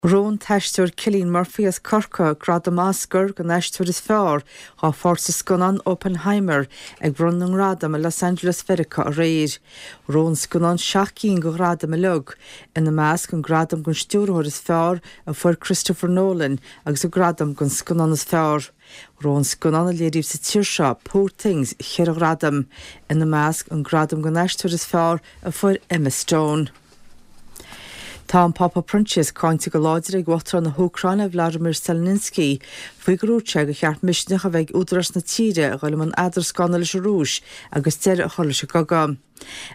Ghnóthaigh an t-aisteoir Cillian Murphy as Corcaigh gradam Oscar don aisteoir is fearr dá pháirt sa scannán Oppenheimer ag bronnadh na ngradam i Los Angeles Mheiriceá aréir. Ghnóthaigh an scannán 7 gcinn de ghradaim uilig, ina measc an gradam don stiúrthóir is fearr a fuair Christopher Nolan agus an gradam don scannán is fearr. Ghnóthaigh an scannán a léiríodh sa tír seo, Poor Things, cheithre ghradam, ina measc an gradam don aisteoir is fearr a fuair Emma Stone. Tá an Pápa Proinsias cáinte go láidir ag Uachtarán na hÚcráine, Vladimir Zelensky, faoi gur dhúirt sé gur cheart misneach a bheith ag údaráis na tíre a dhul i mbun eadrascána leis an Rúis agus deireadh a chur leis an gcogadh.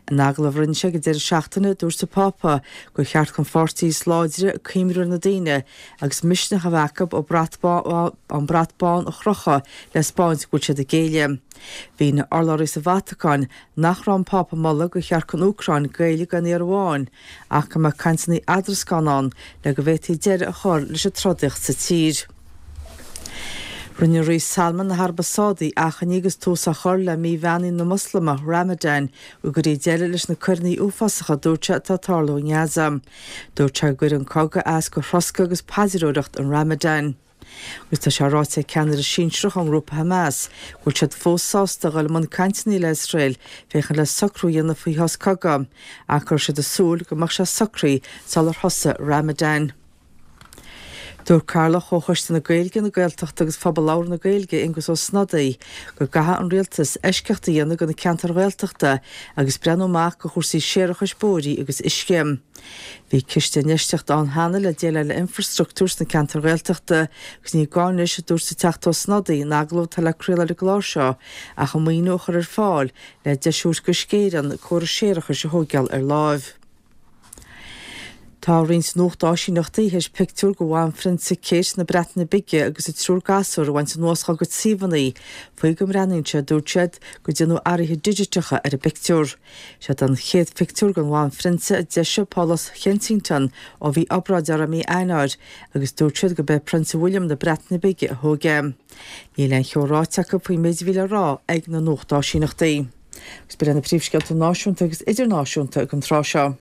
In agallamh a rinne sé ag an deireadh seachtaine, dúirt an Pápa gur cheart don pháirtí is láidre cuimhniú ar na daoine agus misneach a bheith acu an brat bán a chrochadh le 'spáint go bhfuil siad ag géilleadh. Mhínigh urlabhraí sa Vatacáin nach raibh an Pápa ag moladh gur cheart don Úcráin géilleadh gan iarraidh amháin ach go mbeadh cainteanna eadrascána ann le go bhféadfaí deireadh a chur leis an trodaíocht sa tír. Rinne Rí Salman na hAraibe Sádaí achainí agus tús á chur le mí bheannaithe na Moslamach, Ramadan, go gcuirfí deireadh leis na coireanna uafásacha a dúirt sé atá ag tarlú i nGaza. Dúirt sé go gcuireann an cogadh as do throscadh agus paidreoireacht an Ramadan. Agus tá sé ráite ag ceannaire sinsearach ón ngrúpa Hamas go bhfuil siad fós sásta a dhul i mbun cainteanna le hIosrael féachaint le socrú a dhéanamh faoi shos cogaidh, ach go raibh siad ag súil go mbeadh sé socraithe sular thosaigh Ramadan. Dúirt Cathaoirleach Chomhchoiste na Gaeilge, na Gaeltachta agus Phobal Labhartha na Gaeilge, Aengus Ó Snodaigh, go gcaithfidh an Rialtas eisceacht a dhéanamh do na ceantair Ghaeltachta agus breathnú amach do chúrsaí séarachais bóithre agus uisce. Bhí ciste infheistíochta ann cheana le déileáil le infrastructúr sna ceantair Ghaeltachta agus ní gá anois, a dúirt an Teachta Ó Snodaigh in agallamh atá le craoladh ar an gclár seo, ach an maoiniú a chur ar fáil le deis a thabhairt d'Uisce Éireann córas séarachais a thóigeáil ar láimh. Tá roinnt nuachtáisíneachtaí théis pictiúr de Bhanphrionsa Kate na Breataine Bige agus a triúr gasúr a bhaint anuas dá gcuid suíomhanna faoi go mbreathnaíonn sé, a dúirt siad, gur déanadh athruithe digiteacha ar an bpictiúr. Siod an chéad phictiúr den Bhanphrionsa a d'eisigh Pálás Kensington ó bhí obráid uirthi i mí Eanáir agus dúirt siad gurb é Prionsa William na Breataine Bige a thóg é. Níl aon cheo ráite acu faoin méid a bhí le rá ag na nuachtáisíneachtaí. Agus b'in iad na príomhscéalta náisiúnta agus idirnáisiúnta ag an tráth seo.